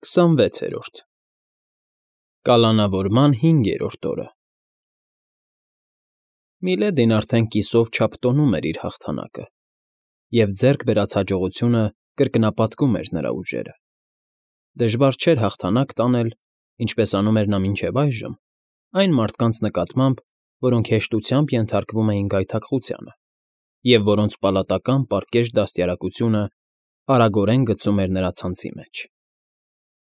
26-րդ Կալանավորման 5-րդ օրը Միլեդին արդեն կիսով չափ տոնում էր իր հաղթանակը, և ձեռք բերած հաջողությունը կրկնապատկում էր նրա ուժերը։ Դժվար չէր հաղթանակ տանել, ինչպես անում էր նա մինչև այժմ, այն մարդկանց նկատմամբ, որոնք հեշտությամբ ենթարկվում էին գայթակղությանը, և որոնց պալատական պարկեշտ դաստիարակությունը արագորեն գցում էր նրա ցանցի մեջ։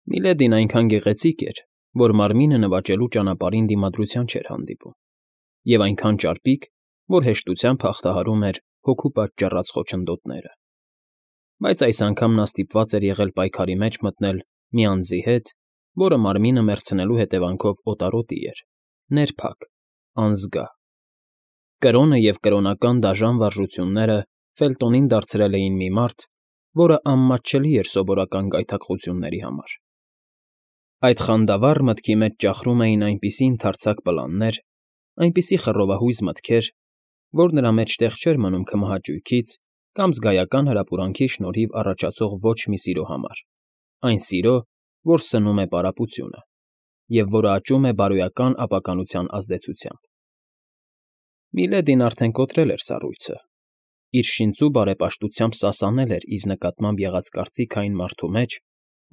Միլեդին այնքան գեղեցիկ էր, որ մարմինը նվաճելու ճանապարհին դիմադրության չէր հանդիպում, և այնքան ճարպիկ, որ հեշտությամբ հաղթահարում էր հոգու պատճառած խոչընդոտները։ Բայց այս անգամ նա ստիպված էր եղել պայքարի մեջ մտնել մի անձի հետ, որը մարմինը մեռցնելու հետևանքով օտարոտի էր, ներփակ, անզգա։ Կրոնը և կրոնական դաժան վարժությունները Ֆելտոնին դարձրել էին մի մարդ, որը անմատչելի էր սովորական գայթակղությունների համար։ Այդ խանդավառ մտքի մեջ ճախրում էին այնպիսի ընդարձակ պլաններ, այնպիսի խռովահույզ մտքեր, որ նրա մեջ տեղ չէր մնում քմահաճույքից կամ զգայական հրապուրանքի շնորհիվ առաջացող ոչ մի սիրո համար, այն սիրո, որ սնում է պարապությունը, և որը աճում է բարոյական ապականության ազդեցությամբ։ Միլեդին արդեն կոտրել էր սառույցը, իր շինծու բարեպաշտությամբ սասանել էր իր նկատմամբ եղած կարծիքը այն մարդու մեջ,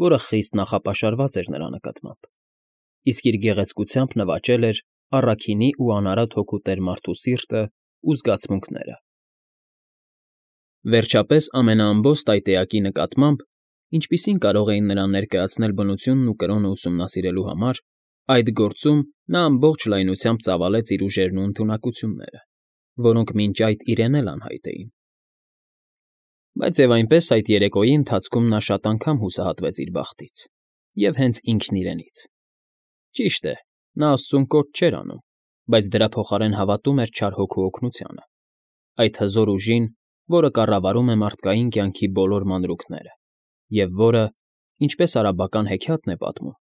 որը խիստ նախապաշարված էր նրա նկատմամբ, իսկ իր գեղեցկությամբ նվաճել էր առաքինի ու անարատ հոգու տեր մարդու սիրտն ու զգացմունքները։ Վերջապես ամենաամբոստ այդ էակի նկատմամբ, ինչպիսին կարող էին նրան ներկայացնել բնությունն ու կրոնը ուսումնասիրելու համար, այդ գործում նա ամբողջ լայնությամբ ծավալեց իր ուժերն ու ընդունակությունները, որոնք մինչ այդ իրեն էլ անհայտ էին։ Բայց և այնպես այդ երեկոյի ընթացքում նա շատ անգամ հուսահատվեց իր բախտից, և հենց ինքն իրենից։ Ճիշտ է, նա աստծուն կոչ չէր անում, բայց դրա փոխարեն հավատում էր չար հոգու օգնությանը, այդ հզոր ուժին, որը կառավարում է մարդկային կյանքի բոլոր մանրուքները, և որը, ինչպես արաբական հեքիաթն է պատմում,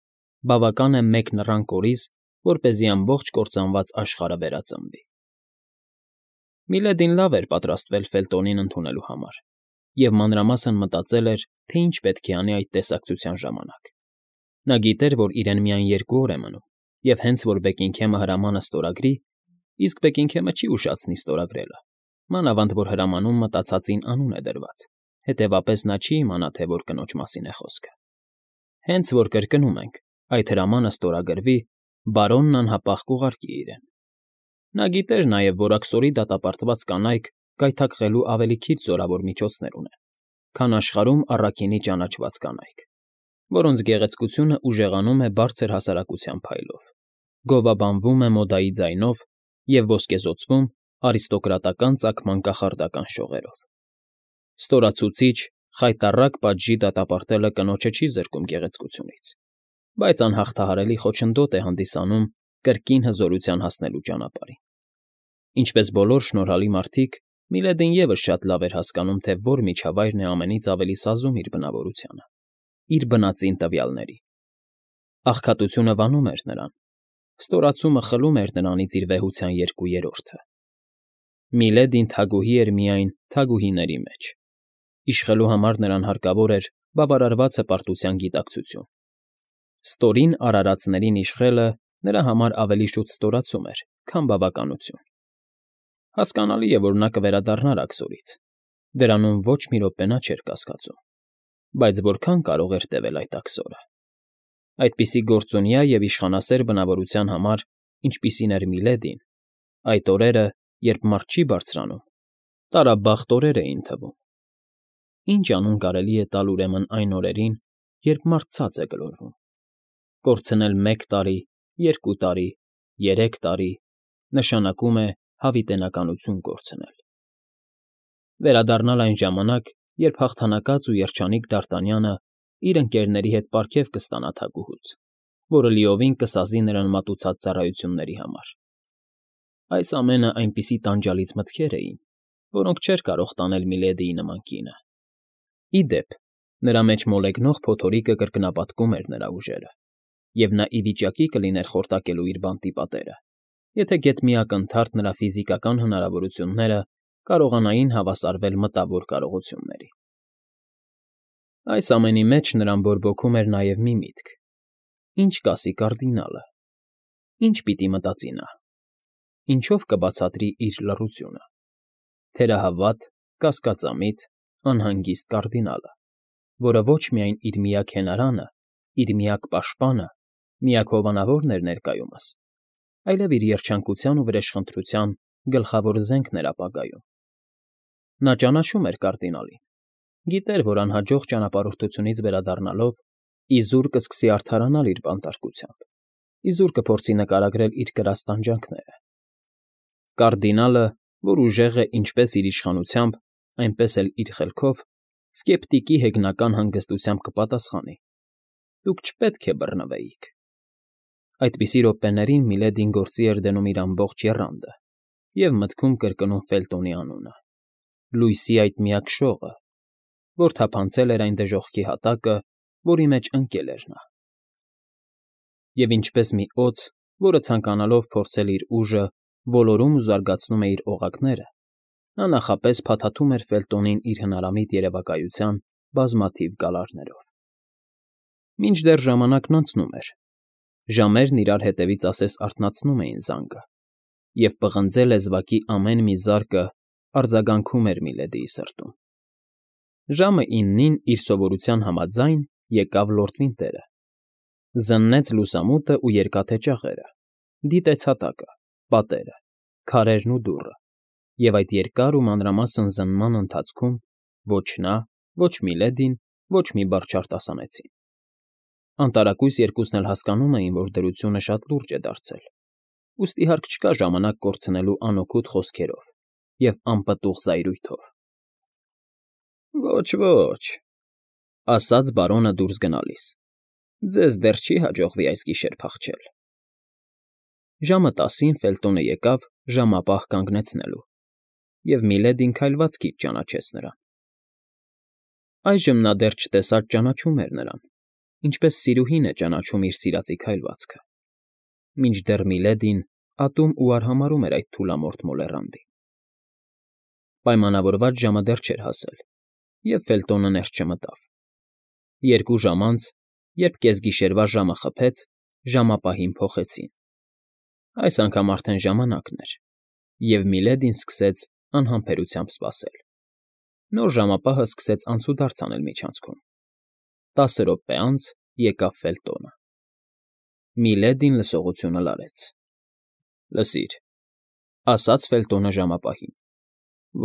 բավական է մեկ նռան կորիզ, որպեսզի ամբողջ կործանված աշխարհը վերածնվի։ Միլեդին լավ էր պատրաստվել Ֆելտոնին ընդունելու համար, և մանրամասն մտածել էր, թե ինչ պետք է անի այդ տեսակցության ժամանակ։ Նա գիտեր, որ իրեն միայն 2 օր է մնում, և հենց որ Բեքինգհեմը հրամանը ստորագրի, իսկ Բեքինգհեմը չի ուշացնի ստորագրելը, մանավանդ որ հրամանում մտածածին անուն է դրված, հետևապես նա չի իմանա, թե որ կնոջ մասին է խոսքը։ Հենց որ կրկնում ենք, այդ հրամանը ստորագրվի, բարոնն անհապաղ կուղարկի իրեն։ Նա գիտեր նաև, որ աքսորի դատապարտված կանայք գայթակղելու ավելի քիչ զորավոր միջոցներ ունեն, քան աշխարհում առաքինի ճանաչված կանայք, որոնց գեղեցկությունը ուժեղանում է բարձր հասարակության փայլով, գովաբանվում է մոդայի ձայնով և ոսկեզօծվում արիստոկրատական ծագման կախարդական շողերով։ Ստորացուցիչ, խայտառակ պատժի դատապարտելը կնոջը չի զրկում գեղեցկությունից, բայց անհաղթահարելի խոչընդոտ է հանդիսանում կրկին հզորության հասնելու ճանապարհին։ Ինչպես բոլոր շնորհալի մարդիկ, Միլեդին ևս շատ լավ էր հասկանում, թե որ միջավայրն է ամենից ավելի սազում իր բնավորությանը, իր բնածին տվյալների։ Աղքատությունը վանում էր նրան, ստորացումը խլում էր նրանից իր վեհության 2/3-ը։ Միլեդին թագուհի էր միայն թագուհիների մեջ։ Իշխելու համար նրան հարկավոր էր բավարարված հպարտության գիտակցություն։ Ստորին արարածներին իշխելը նրա համար ավելի շուտ ստորացում էր, քան բավականություն։ Հասկանալի է, որ նա կվերադառնար աքսորից, դրանում ոչ մի րոպե նա չէր կասկածում, բայց որքան կարող էր տևել այդ աքսորը։ Այդպիսի գործունյա և իշխանասեր բնավորության համար, ինչպիսին էր Միլեդին, այդ օրերը, երբ մարդ չի բարձրանում, տարաբախտ օրեր էին թվում։ Ինչ անուն կարելի է տալ ուրեմն այն օրերին, երբ մարդ ցած է գլորվում։ Կորցնել 1 տարի, 2 տարի, 3 տարի նշանակում է հավիտենականություն կորցնել։ Վերադառնալ այն ժամանակ, երբ հաղթանակած ու երջանիկ Դարտանյանը իր ընկերների հետ պարգև կստանա թագուհուց, որը լիովին կսազի նրան մատուցած ծառայությունների համար։ Այս ամենը այնպիսի տանջալից մտքեր էին, որոնք չէր կարող տանել Միլեդիի նման կինը։ Ի դեպ, նրա մեջ մոլեգնող փոթորիկը կրկնապատկում էր նրա ուժերը, և նա ի վիճակի կլիներ խորտակելու իր բանտի պատերը, եթե գեթ մի ակնթարթ նրա ֆիզիկական հնարավորությունները կարողանային հավասարվել մտավոր կարողությունների։ Այս ամենի մեջ նրան բորբոքում էր նաև մի միտք. ինչ կասի կարդինալը, ինչ պիտի մտածի նա, ինչով կբացատրի իր լռությունը, թերահավատ, կասկածամիտ, անհանգիստ կարդինալը, որը ոչ միայն իր միակ հենարանը, իր միակ պաշտպանը, միակ հովանավորն էր ներկայումս, այլև իր երջանկության ու վրեժխնդրության գլխավոր զենքն էր ապագայում։ Նա ճանաչում էր կարդինալին, գիտեր, որ անհաջող ճանապարհորդությունից վերադառնալով իզուր կսկսի արդարանալ իր բանտարկությամբ, իզուր կփորձի նկարագրել իր կրած տանջանքները։ Կարդինալը, որ ուժեղ է ինչպես իր իշխանությամբ, այնպես էլ իր խելքով, սկեպտիկի հեգնական հանգստությամբ կպատասխանի. «Դուք չպետք է բռնվեիք»։ Այդպիսի րոպեներին Միլեդին գործի էր դնում իր ամբողջ եռանդը և մտքում կրկնում Ֆելտոնի անունը, լույսի այդ միակ շողը, որ թափանցել էր այն դժոխքի հատակը, որի մեջ ընկել էր նա։ Եվ ինչպես մի օձ, որը ցանկանալով փորձել իր ուժը, ոլորում ու զարգացնում է իր օղակները, նա նախապես փաթաթում էր Ֆելտոնին իր հնարամիտ երևակայության բազմաթիվ գալարներով։ Մինչդեռ ժամանակն անցնում էր, ժամերն իրար հետևից ասես արթնացնում էին զանգը, և պղնձե լեզվակի ամեն մի զարկը արձագանքում էր Միլեդիի սրտում։ Ժամը 9-ին իր սովորության համաձայն եկավ Լորդ Վինտերը, զննեց լուսամուտը ու երկաթե ճաղերը, դիտեց հատակը, պատերը, քարերն ու դուռը, և այդ երկար ու մանրամասն զննման ընթացքում ոչ նա, ոչ Միլեդին ոչ մի բառ չարտասանեցին։ Անտարակույս երկուսն էլ հասկանում էին, որ դրությունը շատ լուրջ է դարձել, ուստի հարկ չկա ժամանակ կորցնելու անօգուտ խոսքերով և անպտուղ զայրույթով։ Ոչ, ասաց բարոնը դուրս գնալիս, ձեզ դեռ չի հաջողվի այս գիշեր փախչել։ Ժամը 10-ին Ֆելտոնը եկավ ժամապահ կանգնեցնելու, և Միլեդին քայլվածքից ճանաչեց նրան։ Այժմ նա դեռ չտեսած ճանաչում էր նրան, ինչպես սիրուհին է ճանաչում իր սիրածի քայլվածքը, մինչդեռ Միլեդին ատում ու արհամարհում էր այդ թուլամորթ մոլեռանդին։ Պայմանավորված ժամը դեռ չէր հասել, և Ֆելտոնը ներս չմտավ։ 2 ժամ անց, երբ կեսգիշերվա ժամը խփեց, ժամապահին փոխեցին։ Այս անգամ արդեն ժամանակն էր, և Միլեդին սկսեց անհամբերությամբ սպասել։ Նոր ժամապահը սկսեց անցուդարձ անել միջանցքում։ 10 րոպե անց եկավ Ֆելտոնը։ Միլեդին լսողությունը լարեց։ Լսիր, ասաց Ֆելտոնը ժամապահին,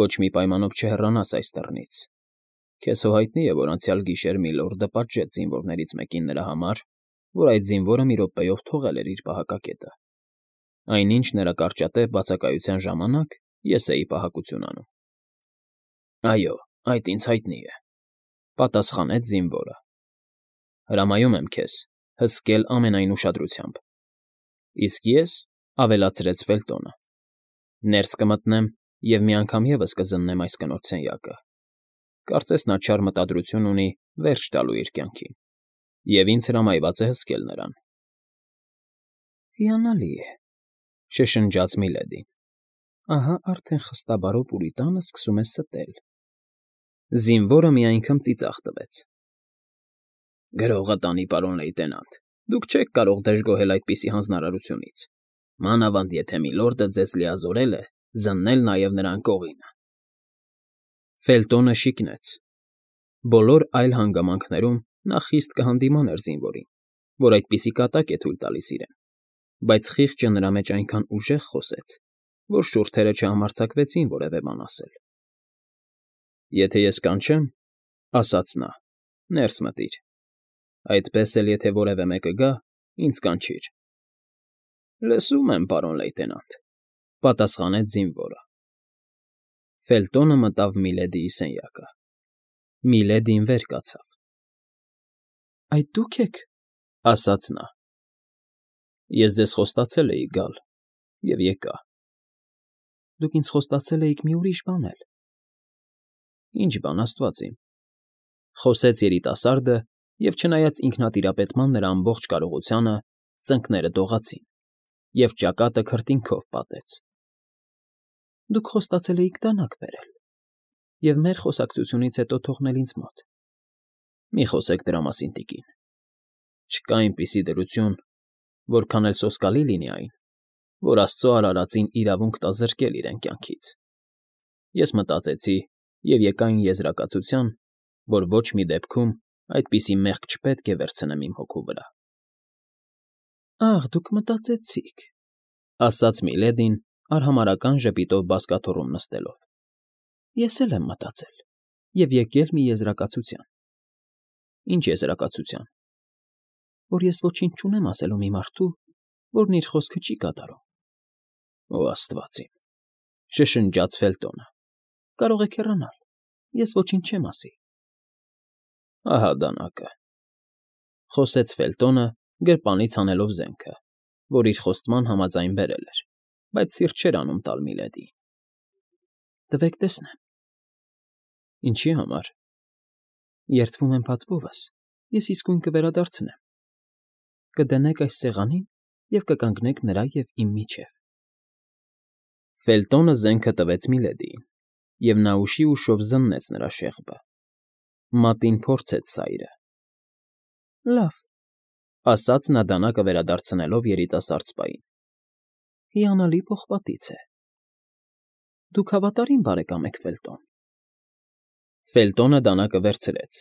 ոչ մի պայմանով չհեռանաս այս դռնից։ Քեզ հո հայտնի է, որ անցյալ գիշեր մի լորդը պատժեց զինվորներից մեկին նրա համար, որ այդ զինվորը մի րոպեով թողել էր իր պահակակետը։ Այնինչ նրա կարճատև բացակայության ժամանակ ես էի պահակություն անում։ Այո, այդ ինձ հայտնի է, պատասխանեց զինվորը։ Հրամայում եմ քեզ հսկել ամենայն ուշադրությամբ։ Իսկ ես, ավելացրեց Ֆելտոնը, ներս կմտնեմ և մի անգամ ևս կզննեմ այս կնոջ սենյակը։ Կարծես նա չար մտադրություն ունի վերջ տալու իր կյանքին, և ինձ հրամայված է հսկել նրան։ Հիանալի է, շշնջաց Միլեդին։ Ահա արդեն խստաբարո Պուրիտանը սկսում է ստել։ Զինվորը մի անգամ ծիծաղ տվեց։ Գրողը տանի, պարոն լեյտենանտ, դուք չեք կարող դժգոհել այդպիսի հանձնարարությունից, մանավանդ եթե միլորդը ձեզ լիազորել է զննել նաև նրա անկողինը։ Ֆելտոնը շիկնեց։ Բոլոր այլ հանգամանքներում նա խիստ կհանդիմաներ զինվորին, որ այդպիսի կատակ է թույլ տալիս իրեն, բայց խիղճը նրա մեջ այնքան ուժեղ խոսեց, որ շուրթերը չհամարձակվեցին որևէ բան ասել։ Եթե ես կանչեմ, ասաց նա, ներս մտիր, այդպես էլ եթե որևէ մեկը գա, ինձ կանչիր։ Լսում եմ, պարոն լեյտենանտ, պատասխանեց զինվորը։ Ֆելտոնը մտավ Միլեդիի սենյակը։ Միլեդին վեր կացավ։ Այդ դուք եք, ասաց նա։ Ես ձեզ խոստացել էի գալ, և եկա։ Դուք ինձ խոստացել էիք մի ուրիշ բան էլ։ Ինչ բան, աստված իմ, խոսեց երիտասարդը, և չնայած ինքնատիրապետման նրա ամբողջ կարողությանը, ծնկները դողացին, և ճակատը քրտինքով պատեց։ Դուք խոստացել էիք դանակ բերել և մեր խոսակցությունից հետո թողնել ինձ մոտ։ Մի խոսեք դրա մասին, տիկին։ Չկա այնպիսի դրություն, որքան էլ սոսկալի լինի այն, որ Աստծո արարածին իրավունք տա զրկել իրեն կյանքից։ Ես մտածեցի և եկա այն եզրակացության, որ ոչ մի դեպքում այդպիսի մեղք չպետք է վերցնեմ իմ հոգու վրա։ Ախ, դուք մտածեցիք, ասաց Միլեդին արհամարհական ժպիտով բազկաթոռում նստելով։ Ես էլ եմ մտածել և եկել մի եզրակացության։ Ինչ եզրակացության։ Որ ես ոչինչ չունեմ ասելու մի մարդու, որն իր խոսքը չի կատարում։ Օ Աստված իմ, շշնջաց Ֆելտոնը։ Կարող եք հեռանալ, ես ոչինչ չեմ ասի։ Ահա դանակը, խոսեց Ֆելտոնը, գրպանից հանելով զենքը, որ իր խոստման համաձայն բերել էր, բայց սիրտ չէր անում տալ Միլեդիին։ Տվեք տեսնեմ։ Ինչի համար։ Երդվում եմ փաթվովս, ես իսկույն կվերադարձնեմ։ Կդնեք այս սեղանին և կկանգնեք նրա և իմ միջև։ Ֆելտոնը զենքը տվեց Միլեդիին, և նա ուշի ուշով զննեց նրա շեղբը։ Մատին փորձեց սայրը։ Լավ, ասաց նա դանակը վերադարձնելով երիտասարդ սպային։ Հիանալի պողպատից է։ Դուք հավատարիմ բարեկամ եք, Ֆելտոն։ Ֆելտոնը դանակը վերցրեց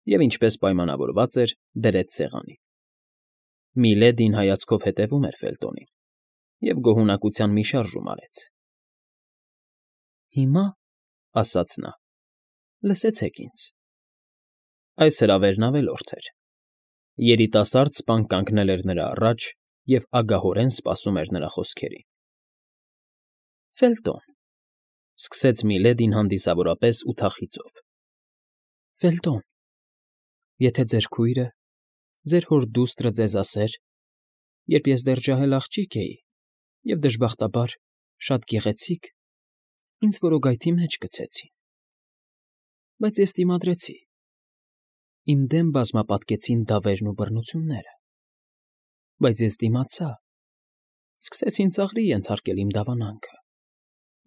և, ինչպես պայմանավորված էր, դրեց սեղանին։ Միլեդին հայացքով հետևում էր Ֆելտոնին և գոհունակության մի շարժում արեց։ Հիմա, ասաց նա, լսեցեք ինձ։ Այս հրավերն ավելորդ էր։ Երիտասարդ սպան կանգնել էր նրա առաջ և ագահորեն սպասում էր նրա խոսքերին։ Ֆելտոն, սկսեց Միլեդին հանդիսավորապես ու թախիծով։ Ֆելտոն, եթե ձեր քույրը, ձեր հոր դուստրը ձեզ ասեր, երբ ես դեռ ջահել աղջիկ էի և, դժբախտաբար, շատ գեղեցիկ, ինձ որոգայթի մեջ գցեցին։ Բայց ես դիմադրեցի։ Իմ դեմ բազմապատկեցին դավերն ու բռնությունները։ Բայց ես դիմացա, սկսեցին ծաղրի ենթարկել իմ դավանանքը,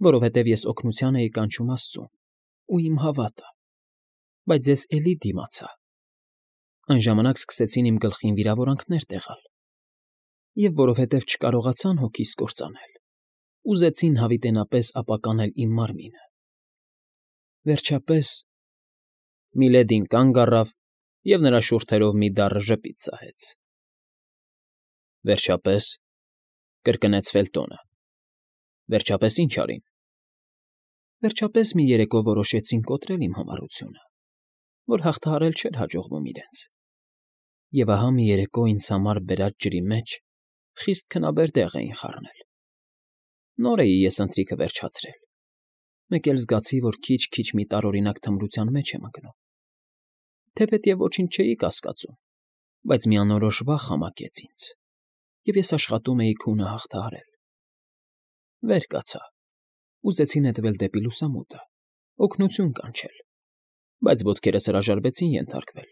որովհետև ես օգնության էի կանչում Աստծուն ու իմ հավատը, բայց ես էլի դիմացա։ Այն ժամանակ սկսեցին իմ գլխին վիրավորանքներ տեղալ, և որովհետև չկարողացան հոգիս կործանել, ուզեցին հավիտենապես ապականել իմ մարմինը։ Վերջապես Միլեդին կանգ առավ և նրա շուրթերով մի դառը ժպիտ սահեց։ Վերջապես, կրկնեց Ֆելտոնը։ Վերջապես ի՞նչ արին։ Վերջապես մի երեկո որոշեցին կոտրել իմ համառությունը, որ հաղթահարել չէր հաջողվում իրենց։ Եվ ահա մի երեկո ինձ համար բերած ջրի մեջ խիստ քնաբեր դեղ էին խառնել։ Նոր էի ես ընթրիքը վերջացրել, մեկ էլ զգացի, որ քիչ֊քիչ մի տարօրինակ թմրության մեջ եմ ընկնում։ Թեպետև ոչինչ չէի կասկածում, բայց մի անորոշ վախ ամակեց ինձ, և ես աշխատում էի քունը հաղթահարել։ Վեր կացա, ուզեցի նետվել դեպի լուսամուտը, օգնություն կանչել, բայց ոտքերս հրաժարվեցին ենթարկվել։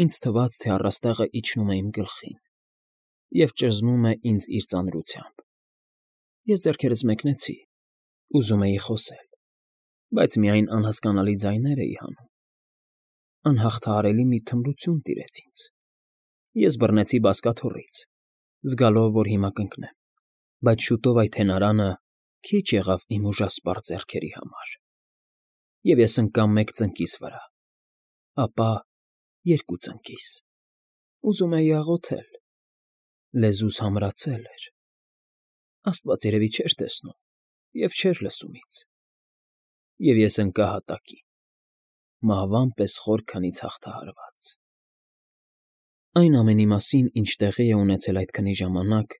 Ինձ թվաց, թե առաստաղը իջնում է իմ գլխին և ճզմում է ինձ իր ծանրությամբ։ Ես ձեռքերս մեկնեցի, ուզում էի խոսել, բայց միայն անհասկանալի ձայներ էի հանում։ Անհաղթահարելի մի թմրություն տիրեց ինձ։ Ես բռնեցի բազկաթոռից, զգալով, որ հիմա կընկնեմ, բայց շուտով այդ հենարանը քիչ եղավ իմ ուժասպառ ձեռքերի համար, և ես ընկա մեկ ծնկիս վրա, ապա երկու ծնկիս։ Ուզում էի աղոթել, լեզուս համրացել էր։ Աստված երևի չէր տեսնում և չէր լսում ինձ, և ես ընկա հատակին, մահվան պես խոր քնից հաղթահարված։ Այն ամենի մասին, ինչ տեղի է ունեցել այդ քնի ժամանակ,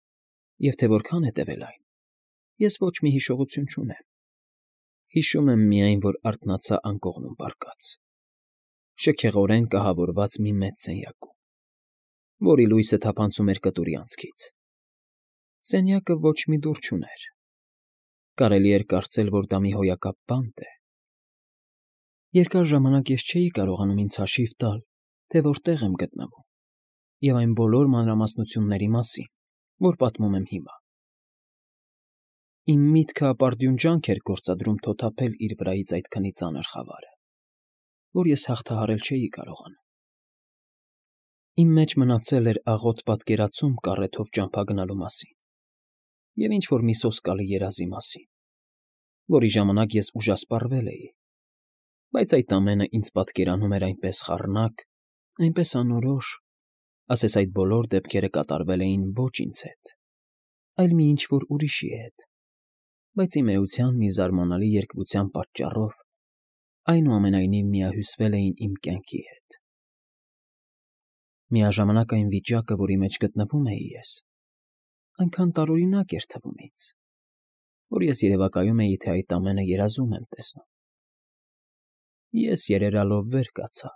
և թե որքան է տևել այն, ես ոչ մի հիշողություն չունեմ։ Հիշում եմ միայն, որ արթնացա անկողնում պառկած, շքեղորեն կահավորված մի մեծ սենյակում, որի լույսը թափանցում էր կտուրի անցքից։ Սենյակը ոչ մի դուռ չուներ։ Կարելի էր կարծել, որ դա մի հոյակապ բանտ է։ Երկար ժամանակ ես չէի կարողանում ինձ հաշիվ տալ, թե որտեղ եմ գտնվում, և այն բոլոր մանրամասնությունների մասին, որ պատմում եմ հիմա։ Իմ միտքը ապարդյուն ջանք էր գործադրում թոթափել իր վրայից այդ քնի ծանր խավարը, որ ես հաղթահարել չէի կարողանում։ Իմ մեջ մնացել էր աղոտ պատկերացում կառեթով ճամփա գնալու մասին և ինչ֊որ մի սոսկալի երազի մասին, որի ժամանակ ես ուժասպառվել էի, բայց այդ ամենը ինձ պատկերանում էր այնպես խառնակ, այնպես անորոշ, ասես այդ բոլոր դեպքերը կատարվել էին ոչ ինձ հետ, այլ մի ինչ֊որ ուրիշի հետ, բայց իմ էության մի զարմանալի երկվության պատճառով այնուամենայնիվ միահյուսվել էին իմ կյանքի հետ։ Միաժամանակ այն վիճակը, որի մեջ գտնվում էի ես, այնքան տարօրինակ էր թվում ինձ, որ ես երևակայում էի, թե այդ ամենը երազում եմ տեսնում։ Ես երերալով վեր կացա։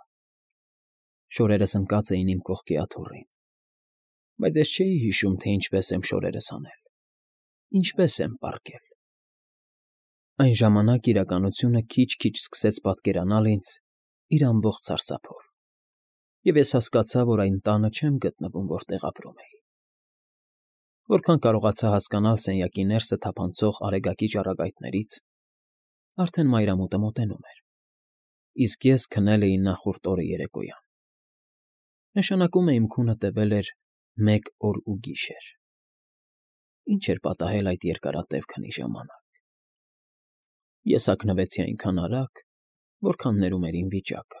Շորերս ընկած էին իմ կողքի աթոռին, բայց ես չէի հիշում, թե ինչպես եմ շորերս հանել, ինչպես եմ պառկել։ Այն ժամանակ իրականությունը քիչ֊քիչ սկսեց պատկերանալ ինձ իր ամբողջ սարսափով, և ես հասկացա, որ այն տանը չեմ գտնվում, որտեղ ապրում էի։ Որքան կարողացա հասկանալ սենյակի ներսը թափանցող արեգակի ճառագայթներից, արդեն մայրամուտը մոտենում էր, իսկ ես քնել էի նախորդ օրը երեկոյան։ Նշանակում է իմ քունը տևել էր 1 օր ու գիշեր։ Ինչ էր պատահել այդ երկարատև քնի ժամանակ։ Ես հագնվեցի այնքան արագ, որքան ներում էր իմ վիճակը։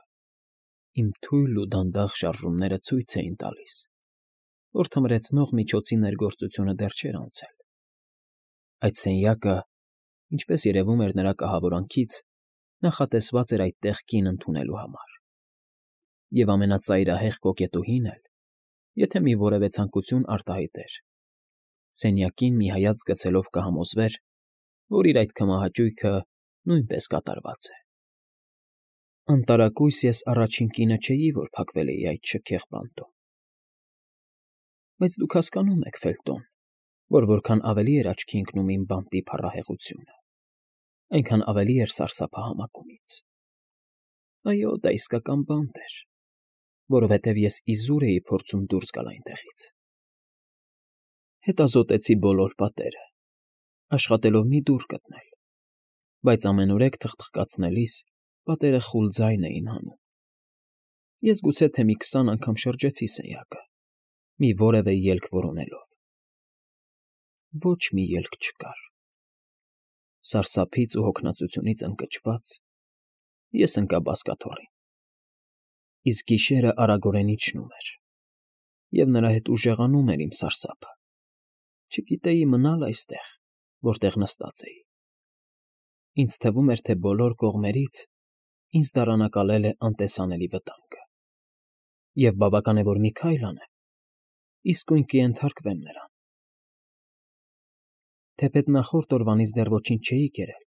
Իմ թույլ ու դանդաղ շարժումները ցույց էին տալիս, որ թմրեցնող միջոցի ներգործությունը դեռ չէր անցել։ Այդ սենյակը, ինչպես երևում էր նրա կահավորանքից, նախատեսված էր այդտեղ կին ընդունելու համար։ Եվ ամենածայրահեղ կոկետուհին էլ, եթե մի որևէ ցանկություն արտահայտեր, սենյակին մի հայացք գցելով կհամոզվեր, որ իր այդ քմահաճույքը նույնպես կատարված է։ Անտարակույս ես առաջին կինը չէի, որ փակվել էի այդ շքեղ բանտում։ Բայց դուք հասկանում եք, Ֆելտոն, որ որքան ավելի էր աչքի ընկնում իմ բանտի փառահեղությունը, այնքան ավելի էր սարսափը համակում ինձ։ Այո, դա իսկական բանտ էր, որովհետև ես իզուր էի փորձում դուրս գալ այնտեղից։ Հետազոտեցի բոլոր պատերը, աշխատելով մի դուռ գտնել, բայց ամենուրեք թխթխկացնելիս պատերը խուլ ձայն էին հանում։ Ես գուցե թե մի 20 անգամ շրջեցի սենյակը, մի որևէ ելք որոնելով։ Ոչ մի ելք չկար։ Սարսափից ու հոգնածությունից ընկճված ես ընկա բազկաթոռին, իսկ գիշերը արագորեն իջնում էր, և նրա հետ ուժեղանում էր իմ սարսափը։ Չգիտեի մնալ այստեղ, որտեղ նստած էի։ Ինձ թվում էր, թե բոլոր կողմերից ինձ դարանակալել է անտեսանելի վտանգը, և բավական է, որ մի քայլ անեմ, իսկույն կենթարկվեմ նրան։ Թեպետ նախորդ օրվանից դեռ ոչինչ չէի կերել,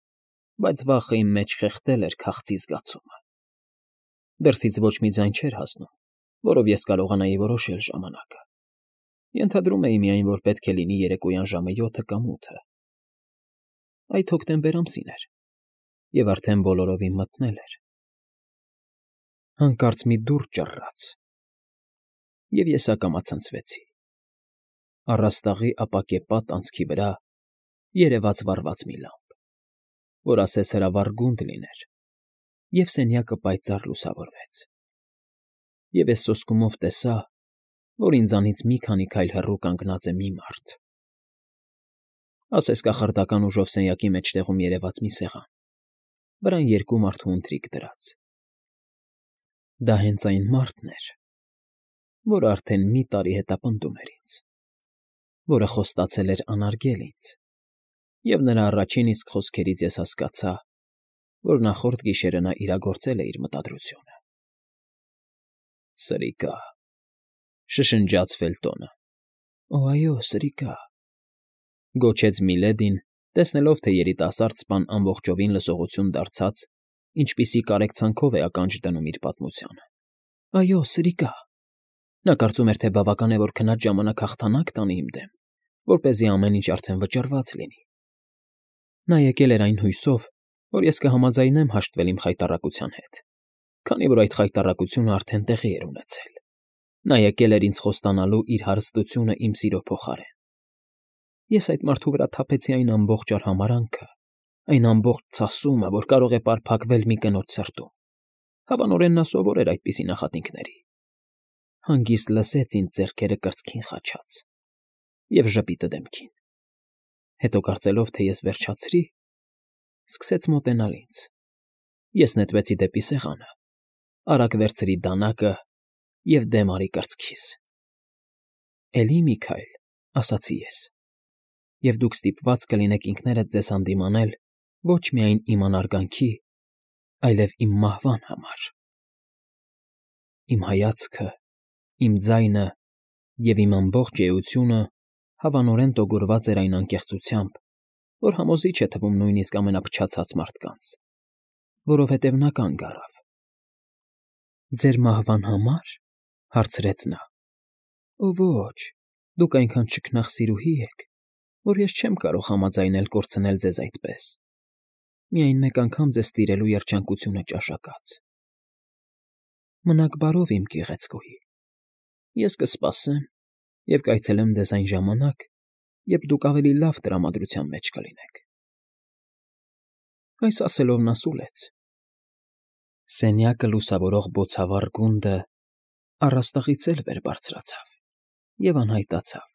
բայց վախը իմ մեջ խեղդել էր քաղցի զգացումը։ Դրսից ոչ մի ձայն չէր հասնում, որով ես կարողանայի որոշել ժամանակը։ Ենթադրում էի միայն, որ պետք է լինի երեկոյան ժամը 7 կամ 8։ Այդ հոկտեմբեր ամսին էր, և արդեն բոլորովին մթնել էր։ Հանկարծ մի դուռ ճռռաց, և ես ակամա ցնցվեցի։ Առաստաղի ապակե պատ անցքի վրա երևաց վառված մի լամբ, որ ասես հրավառ գունդ լիներ, և սենյակը պայծառ լուսավորվեց։ Եվ ես սոսկումով տեսա, որ ինձանից մի քանի քայլ հեռու կանգնած է մի մարդ, ասես կախարդական ուժով սենյակի մեջտեղում երևաց մի սեղան, վրան 2 մարդու ընթրիք դրած։ Դա հենց այն մարդն էր, որը արդեն մի տարի հետապնդում էր ինձ, որը խոստացել էր անարգել ինձ, և նրա առաջին իսկ խոսքերից ես հասկացա, որ նախորդ գիշերը նա իրագործել է իր մտադրությունը։ Սրիկա, շշնջաց Ֆելտոնը։ Օ, այո, սրիկա, գոչեց Միլեդին, տեսնելով, թե երիտասարդ սպան ամբողջովին լսողություն դարձած, ինչպիսի կարեկցանքով է ականջ դնում իր պատմությանը։ Այո, սրիկա։ Նա կարծում էր, թե բավական է, որ քնած ժամանակ հաղթանակ տանի իմ դեմ, որպեսզի ամեն ինչ արդեն վճռված լինի։ Նա եկել էր այն հույսով, որ ես կհամաձայնեմ հաշտվել իմ խայտառակության հետ, քանի որ այդ խայտառակությունը արդեն տեղի էր ունեցել։ Նա եկել էր ինձ խոստանալու իր հարստությունը իմ սիրո փոխարեն։ Ես այդ մարդու վրա թափեցի այն ամբողջ արհամարհանքը, այն ամբողջ ցասումը, որ կարող է պարփակվել մի կնոջ սրտում։ Հավանորեն նա սովոր էր այդպիսի նախատինքների։ Հանգիստ լսեց ինձ ձեռքերը կրծքին խաչած և ժպիտը դեմքին, հետո կարծելով, թե ես վերջացրի, սկսեց մոտենալ ինձ. ես նետվեցի դեպի սեղանը, արագ վերցրի դանակը և դեմ արի կրծքիս։ «Էլի մի քայլ», ասացի ես, «և դուք ստիպված կլինեք ինքներդ ձեզ հանդիմանել ոչ միայն իմ անարգանքի, այլև իմ մահվան համար»։ Իմ հայացքը, իմ ձայնը և իմ ամբողջ էությունը հավանորեն տոգորված էր այն անկեղծությամբ, որ համոզիչ է թվում նույնիսկ ամենափչացած մարդկանց, որովհետև նա կանգ առավ։ «Ձեր մահվան համար,֊ հարցրեց նա,֊ Ո՛չ, դուք այնքան չքնաղ եք, որ ես չեմ կարող համաձայնել կորցնել ձեզ այդպես, միայն մեկ անգամ ձեզ տիրելու երջանկությունը ճաշակած։ Մնաք բարով, իմ գեղեցկուհի, ես կսպասեմ և կայցելեմ ձեզ այն ժամանակ, երբ դուք ավելի լավ տրամադրության մեջ կլինեք»։ Այս ասելով նա սուլեց։ Սենյակը լուսավորող բոցավառ գունդը առաստաղից էլ վեր բարձրացավ և անհայտացավ։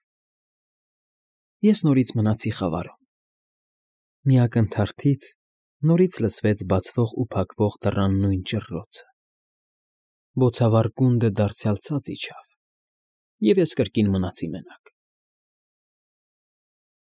Ես նորից մնացի խավարում։ Մի ակնթարթից նորից լսվեց բացվող ու փակվող դռան նույն ճռռոցը։ Բոցավառ գունդը դարձյալ ցած իջավ, և ես կրկին մնացի մենակ։